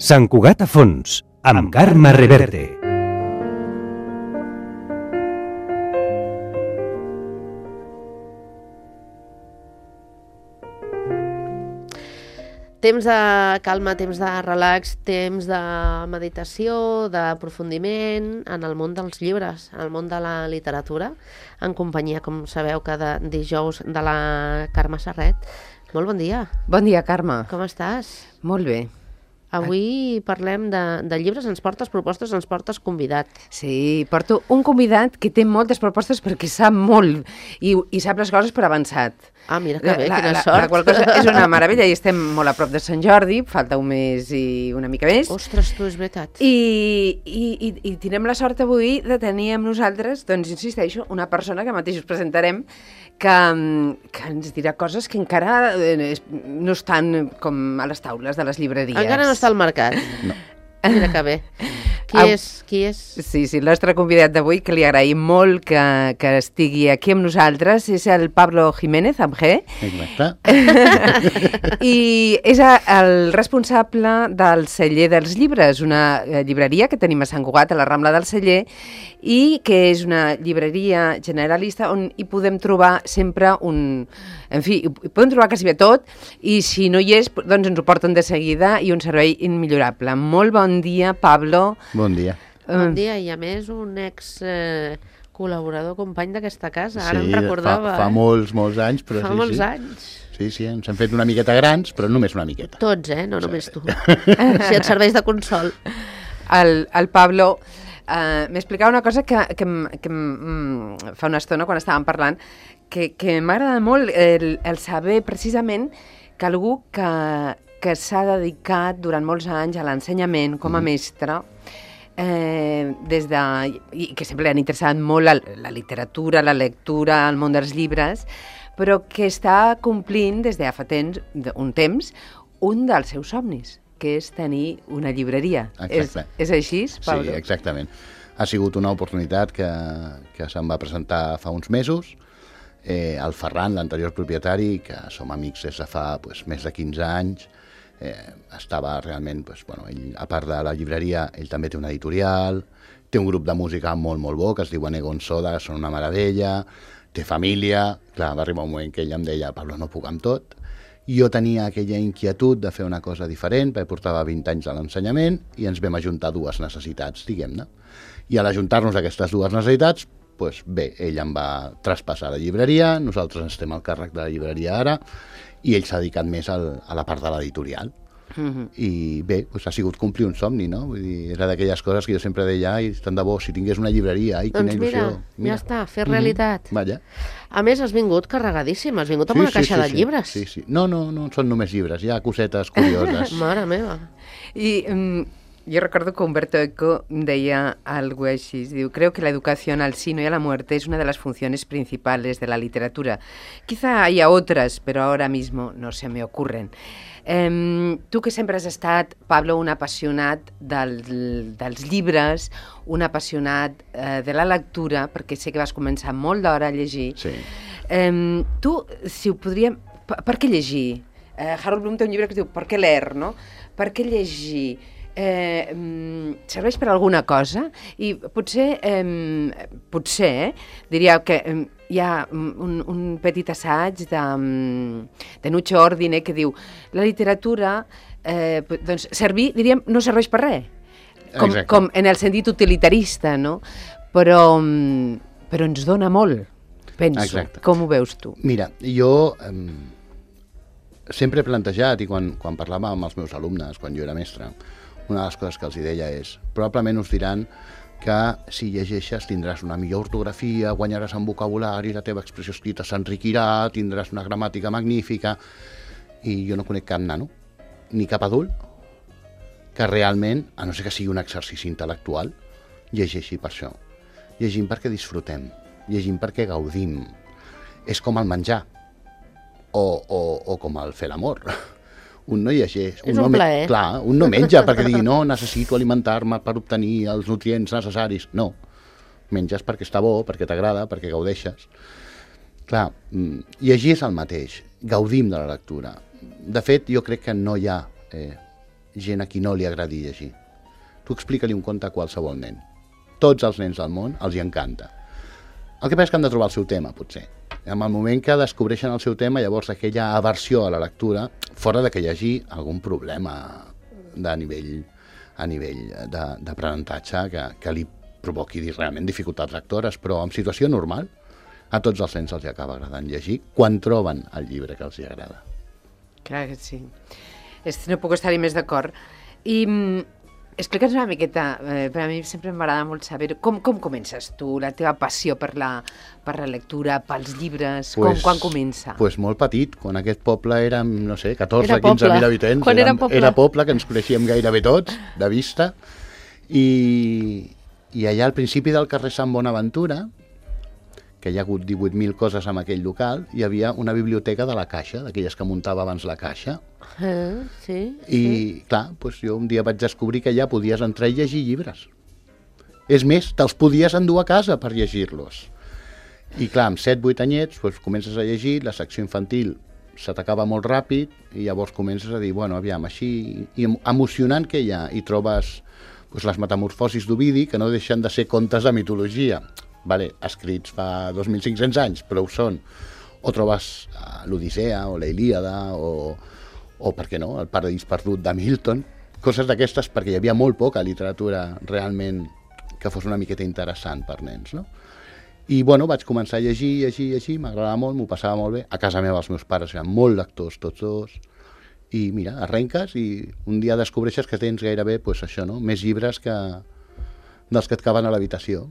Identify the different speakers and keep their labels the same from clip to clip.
Speaker 1: Sant Cugat a fons, amb Carme Reverte.
Speaker 2: Temps de calma, temps de relax, temps de meditació, d'aprofundiment en el món dels llibres, en el món de la literatura, en companyia, com sabeu, cada dijous de la Carme Serret. Molt bon dia.
Speaker 3: Bon dia, Carme.
Speaker 2: Com estàs?
Speaker 3: Molt bé.
Speaker 2: Avui parlem de llibres, ens portes propostes, ens portes convidat.
Speaker 3: Sí, porto un convidat que té moltes propostes perquè sap molt i sap les coses per avançat.
Speaker 2: Ah, mira que bé, quina sort.
Speaker 3: La qual cosa és una meravella i estem molt a prop de Sant Jordi, falta un mes i una mica més.
Speaker 2: Ostres, tu, és veritat.
Speaker 3: I tindrem la sort avui de tenir amb nosaltres, doncs insisteixo, una persona que mateix us presentarem que ens dirà coses que encara no estan com a les taules de les llibreries.
Speaker 2: Encara no està al mercat.
Speaker 3: No.
Speaker 2: Mira que bé. Qui és?
Speaker 3: Sí, el nostre convidat d'avui, que li agraïm molt que estigui aquí amb nosaltres, és el Pablo Jiménez, amb G.
Speaker 4: Exacte.
Speaker 3: I és el responsable del Celler dels Llibres, una llibreria que tenim a Sant Cugat, a la Rambla del Celler, i que és una llibreria generalista on hi podem trobar sempre en fi, hi podem trobar quasi bé tot, i si no hi és, doncs ens ho porten de seguida i un servei immillorable. Molt bon dia, Pablo.
Speaker 4: Bon dia.
Speaker 2: Bon dia, i a més un col·laborador, company d'aquesta casa. Ara
Speaker 4: sí,
Speaker 2: em recordava.
Speaker 4: Fa molts anys, però
Speaker 2: fa
Speaker 4: sí.
Speaker 2: Molts anys.
Speaker 4: Sí, ens hem fet una miqueta grans, però només una miqueta.
Speaker 2: Tots, no només tu. Si et serveix de consol.
Speaker 3: El Pablo m'explicava una cosa que fa una estona, quan estàvem parlant, que m'agrada molt el saber precisament que algú que s'ha dedicat durant molts anys a l'ensenyament com a mestre, i que sempre li han interessat molt la literatura, la lectura, el món dels llibres, però que està complint des de fa un temps un dels seus somnis, que és tenir una llibreria. És així, Pablo?
Speaker 4: Sí, exactament. Ha sigut una oportunitat que se'm va presentar fa uns mesos. El Ferran, l'anterior propietari, que som amics des de fa més de 15 anys, estava realment, ell, a part de la llibreria, ell també té una editorial, té un grup de música molt bo, que es diu Egon Soda, que són una meravella, té família. Clar, va arribar un moment que ell em deia, Pablo, no puc amb tot. I jo tenia aquella inquietud de fer una cosa diferent, perquè portava 20 anys a l'ensenyament i ens vam ajuntar dues necessitats, diguem-ne. I a l'ajuntar-nos aquestes dues necessitats, bé, ell em va traspassar la llibreria, nosaltres estem al càrrec de la llibreria ara, i ell s'ha dedicat més a la part de l'editorial. I bé, ha sigut complir un somni, no? Vull dir, era d'aquelles coses que jo sempre deia, ai, tant de bo, si tingués una llibreria, ai, quina il·lusió.
Speaker 2: Mira, ja està, fer realitat.
Speaker 4: Vaja.
Speaker 2: A més, has vingut carregadíssim, has vingut amb una caixa de llibres.
Speaker 4: Sí. No són només llibres, hi ha cosetes curioses.
Speaker 2: Mare meva.
Speaker 3: I yo recuerdo que Humberto Eco deia algo així, diu, creo que la educación al sí y a la muerte es una de las funciones principales de la literatura. Quizá haya otras, pero ahora mismo no se me ocurren. Tu que sempre has estat, Pablo, un apassionat dels llibres, un apassionat de la lectura, perquè sé que vas començar molt d'hora a llegir.
Speaker 4: Sí.
Speaker 3: Tu, si ho podríem... Per què llegir? Harold Bloom té un llibre que es diu Per què leer, no? Per què llegir? Serveix per alguna cosa? I potser diria que hi ha un petit assaig de Nuccio Ordine que diu la literatura doncs servir, diríem, no serveix per res, com en el sentit utilitarista, no? Però ens dona molt, penso.
Speaker 4: Exacte.
Speaker 3: Com ho veus tu?
Speaker 4: Mira, jo sempre he plantejat, i quan parlava amb els meus alumnes, quan jo era mestre, una de les coses que els deia és, probablement us diran que si llegeixes tindràs una millor ortografia, guanyaràs en vocabulari, la teva expressió escrita s'enriquirà, tindràs una gramàtica magnífica, i jo no conec cap nano, ni cap adult, que realment, a no ser que sigui un exercici intel·lectual, llegeixi per això. Llegim perquè disfrutem, llegim perquè gaudim. És com el menjar, o com el fer l'amor. Un no llegeix.
Speaker 2: És un plaer.
Speaker 4: Clar, un no menja perquè digui no, necessito alimentar-me per obtenir els nutrients necessaris. No, menges perquè està bo, perquè t'agrada, perquè gaudeixes. Clar, llegir és el mateix, gaudim de la lectura. De fet, jo crec que no hi ha gent a qui no li agradi llegir. Tu explica-li un conte a qualsevol nen. Tots els nens del món els hi encanta. El que passa és que han de trobar el seu tema, potser. En el moment que descobreixen el seu tema, llavors aquella aversió a la lectura, fora de que hi hagi algun problema a nivell d'aprenentatge que li provoqui realment dificultats lectores, però en situació normal a tots els nens els acaba agradant llegir quan troben el llibre que els agrada.
Speaker 3: Clar que sí. No puc estar-hi més d'acord. I explica'ns una miqueta, per a mi sempre m'agrada molt saber com comences tu, la teva passió per la lectura, pels llibres, quan comença?
Speaker 4: Pues molt petit, quan aquest poble érem, no sé, 14-15.000 habitants.
Speaker 2: Quan era poble.
Speaker 4: Era poble, que ens coneixíem gairebé tots, de vista, i allà al principi del carrer Sant Bonaventura, que hi ha hagut 18.000 coses en aquell local, hi havia una biblioteca de la Caixa, d'aquelles que muntava abans la Caixa.
Speaker 2: Sí.
Speaker 4: I, clar, doncs jo un dia vaig descobrir que allà podies entrar i llegir llibres. És més, te'ls podies endur a casa per llegir-los. I, clar, amb 7-8 anyets, doncs, comences a llegir, la secció infantil se t'acaba molt ràpid, i llavors comences a dir, bueno, aviam, així, i emocionant que hi ha, i trobes les metamorfosis d'Ovidi, que no deixen de ser contes de mitologia, escrits fa 2.500 anys, però ho són. O trobes l'Odissea, o la Ilíada, o per què no, el Paradís perdut de Milton, coses d'aquestes, perquè hi havia molt poca literatura realment que fos una miqueta interessant per nens, no? I, bueno, vaig començar a llegir, m'agradava molt, m'ho passava molt bé. A casa meva els meus pares eren molt lectors, tots dos, i mira, arrenques i un dia descobreixes que tens gairebé, doncs això, no?, més llibres dels que et caben a l'habitació,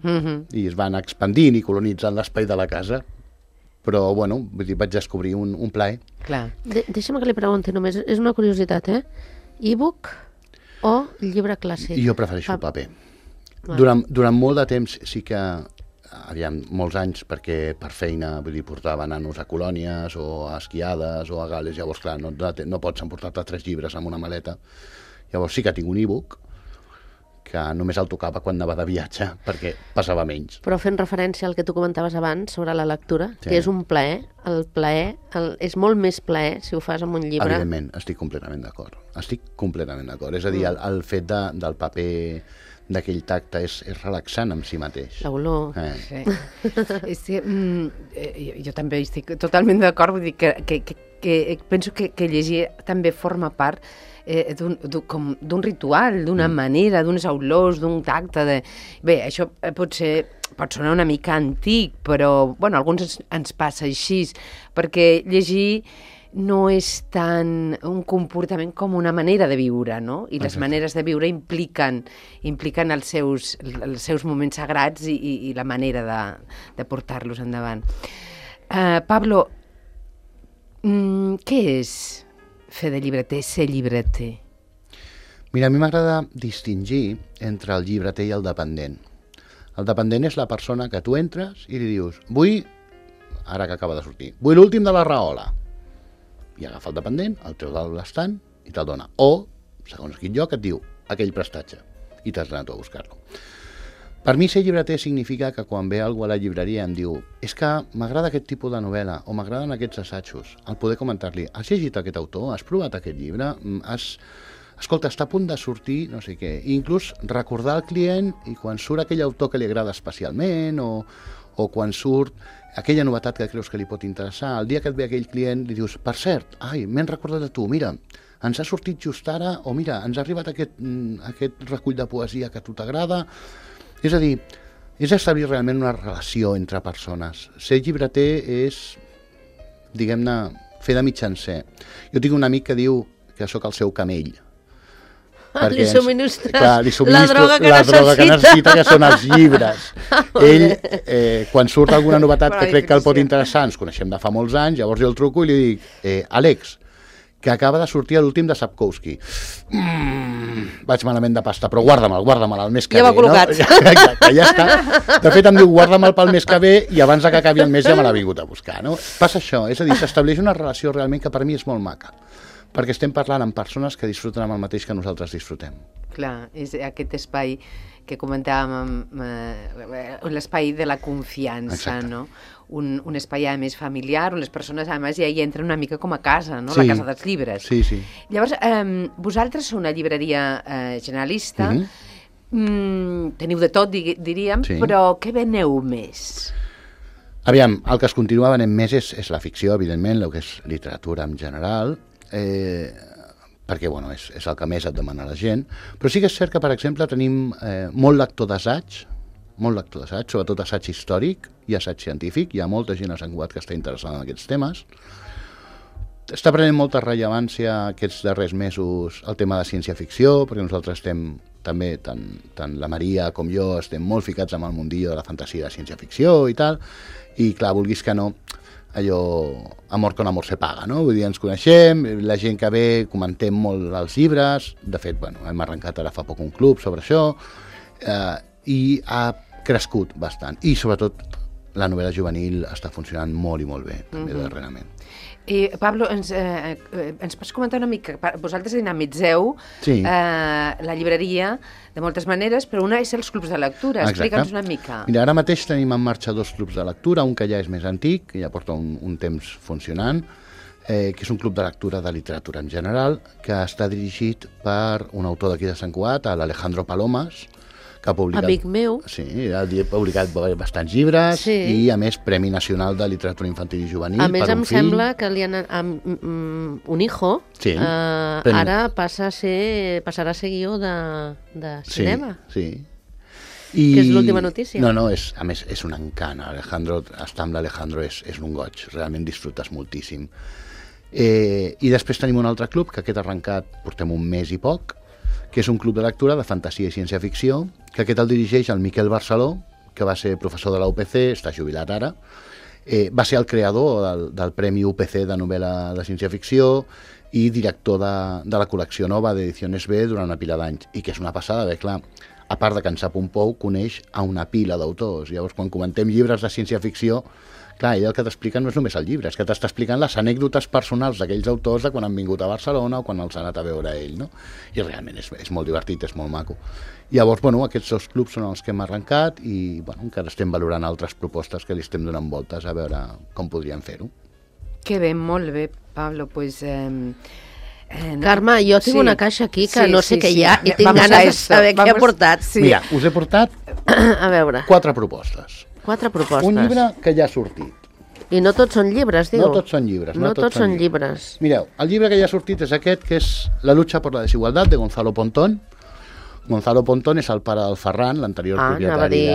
Speaker 4: i es van expandint i colonitzant l'espai de la casa. Però, bueno, vaig descobrir un plaer.
Speaker 3: Clar.
Speaker 2: Deixa'm que li pregunti només, és una curiositat, e-book o llibre clàssic?
Speaker 4: Jo prefereixo el paper. Durant molt de temps sí que, molts anys, perquè per feina portava nanos a colònies o a esquiades o a Gales, llavors clar, no pots emportar-te 3 llibres amb una maleta. Llavors sí que tinc un e-book, que només el tocava quan anava de viatge, perquè passava menys.
Speaker 2: Però fent referència al que tu comentaves abans sobre la lectura, sí, que és un plaer, el plaer és molt més plaer si ho fas amb un llibre.
Speaker 4: Evidentment, estic completament d'acord. És a dir, el fet del paper, d'aquell tacte, és relaxant en si mateix.
Speaker 2: L'olor.
Speaker 3: Sí. Jo també estic totalment d'acord, vull dir que penso que llegir també forma part d'un ritual, d'una manera, d'unes olors, d'un tacte. Bé, això pot sonar una mica antic, però bueno, a alguns ens passa així, perquè llegir no és tant un comportament com una manera de viure, no? I les maneres de viure impliquen els seus moments sagrats i la manera de portar-los endavant. Pablo, què és fer de llibreter, ser llibreter?
Speaker 4: Mira, a mi m'agrada distingir entre el llibreter i el dependent. El dependent és la persona que tu entres i li dius, vull, ara que acaba de sortir, vull l'últim de la Rahola. I agafa el dependent, el treu de l'estant i te'l dona. O, segons quin lloc, et diu aquell prestatge i t'has anat a buscar-lo. Per mi ser llibreter significa que quan ve algú a la llibreria em diu és que m'agrada aquest tipus de novel·la o m'agraden aquests assajos, el poder comentar-li has llegit aquest autor? Has provat aquest llibre? Escolta, està a punt de sortir no sé què. I inclús recordar al client i quan surt aquell autor que li agrada especialment o quan surt aquella novetat que creus que li pot interessar, el dia que et ve aquell client li dius, per cert, m'he recordat de tu, mira, ens ha sortit just ara, o mira, ens ha arribat aquest recull de poesia que a tu t'agrada. És a dir, és establir realment una relació entre persones. Ser llibreter és, diguem-ne, fer de mitjancer. Jo tinc un amic que diu que sóc el seu camell.
Speaker 2: Li subministres
Speaker 4: la droga que necessita, que són els llibres. Ell, quan surt alguna novetat que crec que el pot interessar, ens coneixem de fa molts anys, llavors jo el truco i li dic, Àlex, que acaba de sortir l'últim de Sapkowski. Vaig malament de pasta, però guarda-me'l el mes que ve.
Speaker 2: Ja va col·locat.
Speaker 4: No? Exacte, ja està. De fet, em diu, guarda-me'l pel mes que ve i abans que acabi el mes ja me l'ha vingut a buscar. No? Passa això, és a dir, s'estableix una relació realment que per mi és molt maca, perquè estem parlant amb persones que disfruten amb el mateix que nosaltres disfrutem.
Speaker 3: Clar, és aquest espai que comentàvem, l'espai de la confiança, no? un espai a més familiar, on les persones a més ja hi entren una mica com a casa, no?
Speaker 4: Sí.
Speaker 3: La casa dels llibres.
Speaker 4: Sí, sí.
Speaker 3: Llavors, vosaltres sou una llibreria generalista, teniu de tot, diríem,
Speaker 4: Sí.
Speaker 3: però què veneu més?
Speaker 4: Aviam, el que es continua venent més és la ficció, evidentment, el que és literatura en general, perquè bueno, és el que més et demana la gent, però sí que és cert que, per exemple, tenim molt lector d'assaig, sobretot assaig històric i assaig científic. Hi ha molta gent a Sant Cugat que està interessada en aquests temes. Està prenent molta rellevància aquests darrers mesos el tema de ciència-ficció, perquè nosaltres estem també, tant la Maria com jo, estem molt ficats amb el mundillo de la fantasia de ciència-ficció i tal, i clar, vulguis que no, allò, amor con amor se paga, no? Vull dir, ens coneixem, la gent que ve, comentem molt els llibres, de fet, bueno, hem arrencat ara fa poc un club sobre això, i ha crescut bastant, i sobretot la novel·la juvenil està funcionant molt i molt bé, també darrerament.
Speaker 3: I, Pablo, ens pots comentar una mica? Vosaltres dinamitzeu la llibreria de moltes maneres, però una és els clubs de lectura. Explica'ns una mica.
Speaker 4: Mira, ara mateix tenim en marxa 2 clubs de lectura, un que ja és més antic, que ja porta un temps funcionant, que és un club de lectura de literatura en general, que està dirigit per un autor d'aquí de Sant Cugat, l'Alejandro Palomas, que ha publicat...
Speaker 2: Amic meu.
Speaker 4: Sí, ha publicat bastants llibres,
Speaker 2: Sí.
Speaker 4: i a més Premi Nacional de Literatura Infantil i Juvenil
Speaker 2: A més,
Speaker 4: per un
Speaker 2: em
Speaker 4: fill.
Speaker 2: sembla que li han, un hijo
Speaker 4: Sí,
Speaker 2: ara passarà a ser guió de cinema.
Speaker 4: Sí.
Speaker 2: Que és l'última notícia.
Speaker 4: No, a més, és un encant. Estar amb l'Alejandro és un goig, realment disfrutes moltíssim. I després tenim un altre club, que aquest arrencat portem un mes i poc, que és un club de lectura de fantasia i ciència-ficció, que aquest el dirigeix el Miquel Barceló, que va ser professor de la UPC, està jubilat ara, va ser el creador del Premi UPC de novel·la de ciència-ficció i director de la col·lecció nova d'Ediciones B durant una pila d'anys, i que és una passada, bé, clar, a part de que en sap un pou, coneix a una pila d'autors. Llavors, quan comentem llibres de ciència-ficció, clar, ell el que t'explica no és només el llibre, és que t'està explicant les anècdotes personals d'aquells autors de quan han vingut a Barcelona o quan els ha anat a veure ell, no? I realment és molt divertit, és molt maco. Llavors, bueno, aquests 2 clubs són els que hem arrencat i, bueno, encara estem valorant altres propostes que li estem donant voltes a veure com podríem fer-ho.
Speaker 3: Que bé, molt bé, Pablo, pues...
Speaker 2: Carme, jo tinc una caixa aquí que no sé què hi ha i tinc
Speaker 3: Vamos
Speaker 2: ganes
Speaker 3: a
Speaker 2: de
Speaker 3: esto.
Speaker 2: saber què ha portat.
Speaker 3: Sí.
Speaker 4: Mira, us he portat
Speaker 2: A veure,
Speaker 4: 4 propostes.
Speaker 2: 4 propostes.
Speaker 4: Un llibre que ja ha sortit.
Speaker 2: I no tots són llibres, diu?
Speaker 4: No tots són llibres.
Speaker 2: No tots són llibres.
Speaker 4: Mireu, el llibre que ja ha sortit és aquest, que és La lucha por la desigualdad, de Gonzalo Pontón. Gonzalo Pontón és el pare del Ferran, l'anterior propietari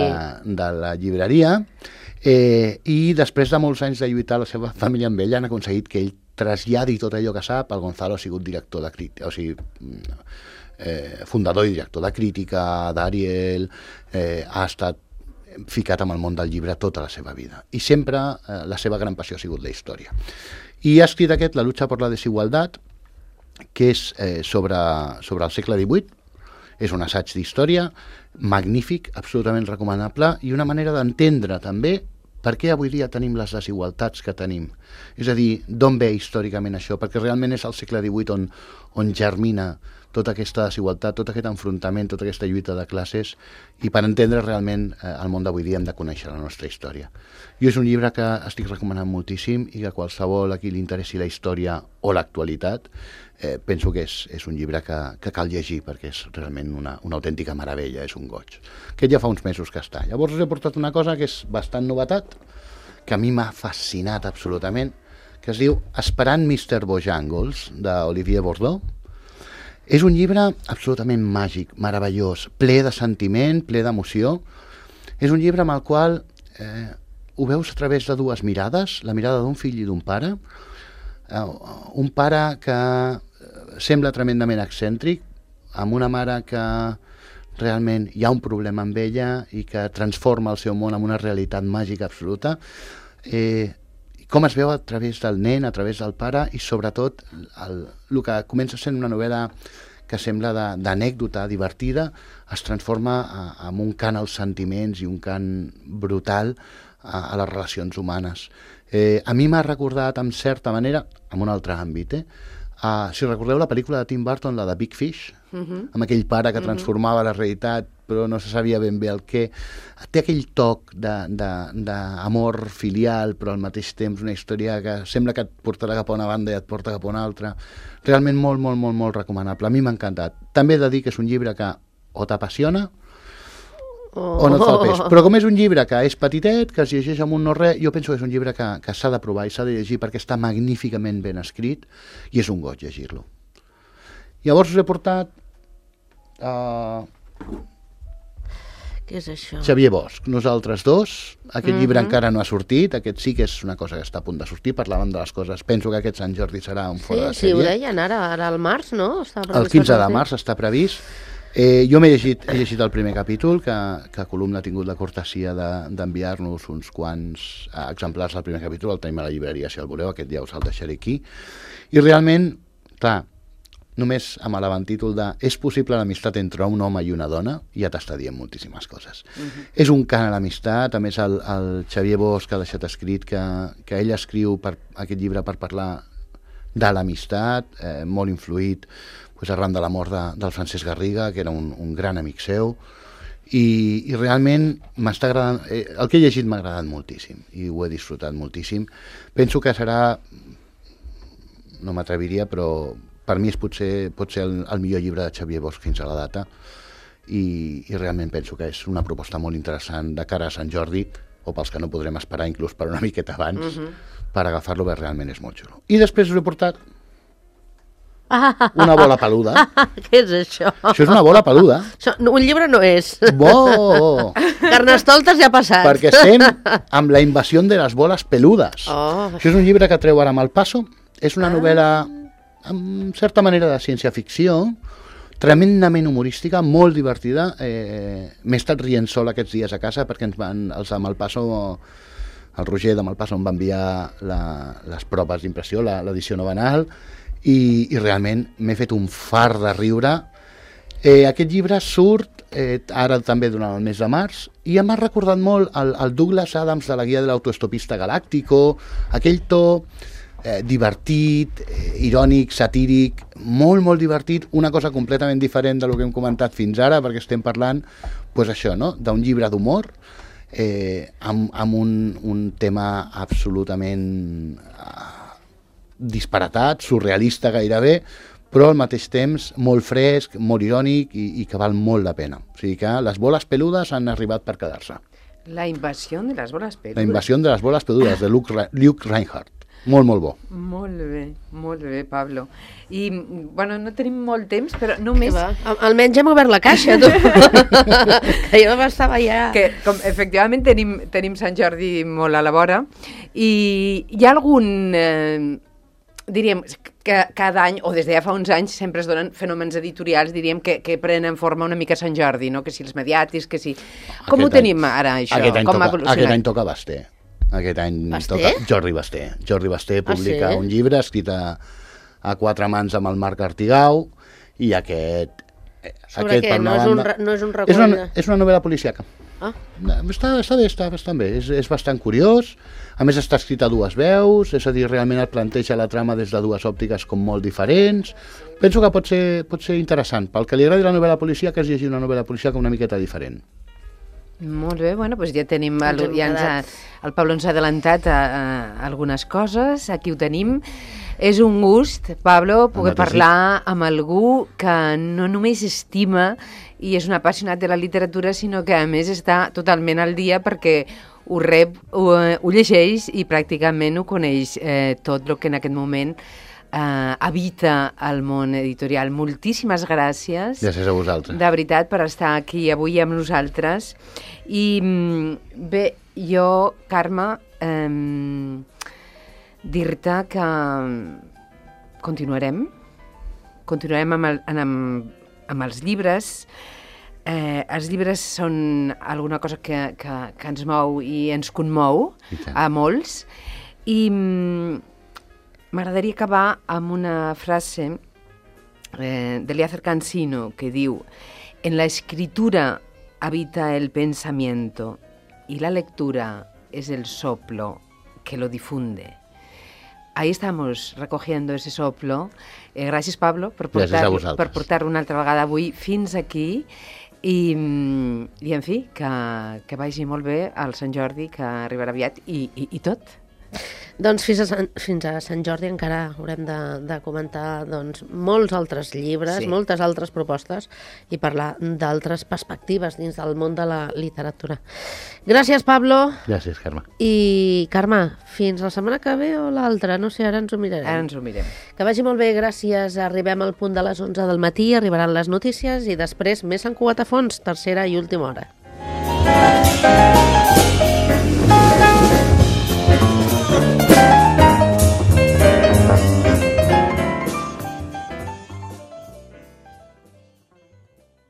Speaker 4: de la llibreria, i després de molts anys de lluitar la seva família amb ell, han aconseguit que ell traslladi tot allò que sap. El Gonzalo ha sigut director de crítica, o sigui, fundador i director de crítica d'Ariel, ha estat ficat amb el món del llibre tota la seva vida. I sempre la seva gran passió ha sigut la història. I ha escrit aquest, La lucha por la desigualdad, que és sobre el segle XVIII. És un assaig d'història magnífic, absolutament recomanable, i una manera d'entendre també per què avui dia tenim les desigualtats que tenim. És a dir, d'on ve històricament això? Perquè realment és al segle XVIII on germina tota aquesta desigualtat, tot aquest enfrontament, tota aquesta lluita de classes, i per entendre realment el món d'avui dia hem de conèixer la nostra història. Jo és un llibre que estic recomanant moltíssim i que qualsevol a qui li interessi la història o l'actualitat, penso que és un llibre que cal llegir perquè és realment una autèntica meravella, és un goig. Aquest ja fa uns mesos que està. Llavors us he portat una cosa que és bastant novetat, que a mi m'ha fascinat absolutament, que es diu Esperant Mr. Bojangles, d'Olivier Bordot. És un llibre absolutament màgic, meravellós, ple de sentiment, ple d'emoció. És un llibre amb el qual ho veus a través de 2 mirades, la mirada d'un fill i d'un pare. Un pare que sembla tremendament excèntric, amb una mare que realment hi ha un problema amb ella i que transforma el seu món en una realitat màgica absoluta. Com es veu a través del nen, a través del pare, i sobretot el que comença sent una novel·la que sembla d'anècdota divertida, es transforma en un cant als sentiments i un cant brutal a les relacions humanes. A mi m'ha recordat, en certa manera, en un altre àmbit, Si recordeu la pel·lícula de Tim Burton, la de Big Fish, amb aquell pare que transformava la realitat però no se sabia ben bé el què. Té aquell toc d'amor filial, però al mateix temps una història que sembla que et portarà cap a una banda i et porta cap a una altra. Realment molt, molt, molt, molt recomanable. A mi m'ha encantat. També he de dir que és un llibre que o t'apassiona o no et fa el pes. Però com és un llibre que és petitet, que es llegeix amb un no-res, jo penso que és un llibre que s'ha de provar i s'ha de llegir perquè està magníficament ben escrit i és un goig llegir-lo. Llavors us he portat
Speaker 2: Què és això?
Speaker 4: Xavier Bosch, nosaltres dos. Aquest llibre encara no ha sortit, aquest sí que és una cosa que està a punt de sortir, parlàvem de les coses. Penso que aquest Sant Jordi serà un fora de sèrie.
Speaker 2: Sí, ho deien ara al març, no?
Speaker 4: El 15 de març està previst. Jo m'he llegit el primer capítol, que Columna ha tingut la cortesia d'enviar-nos uns quants exemplars del primer capítol, el tenim a la llibreria, si el voleu, aquest ja us el deixaré aquí. I realment, clar, només amb l'avantítol de és possible l'amistat entre un home i una dona, ja t'està dient moltíssimes coses. És un cant a l'amistat, a més el Xavier Bosch ha deixat escrit que ell escriu aquest llibre per parlar de l'amistat, molt influït arran de la mort del Francesc Garriga, que era un gran amic seu, i realment m'està agradant, el que he llegit m'ha agradat moltíssim, i ho he disfrutat moltíssim. Penso que serà, no m'atreviria, però per mi pot ser el millor llibre de Xavier Bosch fins a la data, i realment penso que és una proposta molt interessant de cara a Sant Jordi, o pels que no podrem esperar inclús per una miqueta abans, per agafar-lo, perquè realment és molt xulo. I després us he portat una bola peluda.
Speaker 2: Què és això?
Speaker 4: Això és una bola peluda.
Speaker 2: Un llibre no és.
Speaker 4: Bo!
Speaker 2: Carnestoltes ja ha passat.
Speaker 4: Perquè estem amb la invasió de les boles peludes. Això és un llibre que treu ara Malpaso. És una novel·la, en certa manera, de ciència-ficció, tremendament humorística, molt divertida. M'he estat rient sol aquests dies a casa perquè els de Malpaso, el Roger de Malpaso em va enviar les proves d'impressió, l'edició novenal, i realment m'he fet un fart de riure. Aquest llibre surt ara també durant el mes de març i em ha recordat molt el Douglas Adams de la guia de l'autoestopista galàctico, aquell to divertit, irònic, satíric, molt, molt divertit, una cosa completament diferent del que hem comentat fins ara, perquè estem parlant això, no? D'un llibre d'humor amb un tema absolutament disparatat, surrealista gairebé, però al mateix temps molt fresc, molt irònic i que val molt la pena. O sigui que les boles peludes han arribat per quedar-se.
Speaker 3: La invasió de les boles peludes.
Speaker 4: La invasió de les boles peludes, de Luke Reinhardt. Molt, molt bo.
Speaker 3: Molt bé, Pablo. I, bueno, no tenim molt temps, però només...
Speaker 2: Almenys hem obert la caixa, tu. Que jo estava ja...
Speaker 3: Que, com, efectivament, tenim Sant Jordi molt a la vora, i hi ha algun... diríem que cada any, o des de ja fa uns anys, sempre es donen fenòmens editorials, diríem, que prenen forma una mica Sant Jordi, no? Que si els mediàtics, que si... Com ho tenim ara, això?
Speaker 4: Aquest any toca Basté. Aquest any toca Jordi Basté. Jordi Basté publica un llibre escrit a 4 mans amb el Marc Artigau, i aquest...
Speaker 2: Sobre què? No és un recull?
Speaker 4: És una novel·la policíaca. Està bé, està bastant bé. És bastant curiós. A més, està escrit a 2 veus, és a dir, realment et planteja la trama des de 2 òptiques com molt diferents. Penso que pot ser interessant. Pel que li agradi la novel·la policíaca, és llegir una novel·la policíaca una miqueta diferent.
Speaker 3: Molt bé, bueno, doncs ja tenim... El Pablo ens ha adelantat algunes coses, aquí ho tenim. És un gust, Pablo, poder parlar amb algú que no només estima i és un apassionat de la literatura, sinó que a més està totalment al dia perquè ho rep, ho llegeix i pràcticament ho coneix tot el que en aquest moment habita el món editorial. Moltíssimes gràcies.
Speaker 4: Gràcies a vosaltres.
Speaker 3: De veritat, per estar aquí avui amb nosaltres. I bé, jo, Carme, dir-te que continuarem amb els llibres. Els llibres són alguna cosa que ens mou i ens conmou a molts, i m'agradaria acabar amb una frase d'Eliécer Cansino que diu: en la escritura habita el pensamiento y la lectura es el soplo que lo difunde. ahí estamos recogiendo ese soplo. Gràcies, Pablo, per
Speaker 4: Gràcies a vosaltres.
Speaker 3: per portar-lo una altra vegada avui fins aquí. I en fi, que vagi molt bé al Sant Jordi, que arribarà aviat, i tot.
Speaker 2: Doncs fins a Sant Jordi encara haurem de comentar doncs, molts altres llibres,
Speaker 3: Sí.
Speaker 2: moltes altres propostes i parlar d'altres perspectives dins del món de la literatura. Gràcies, Pablo.
Speaker 4: Gràcies, Carme.
Speaker 2: I, Carme, fins la setmana que ve o l'altra? No sé, ara ens ho mirarem.
Speaker 3: Ara ens ho mirem.
Speaker 2: Que vagi molt bé, gràcies. Arribem al punt de les 11 del matí, arribaran les notícies i després més Sant Cugat a fons, tercera i última hora.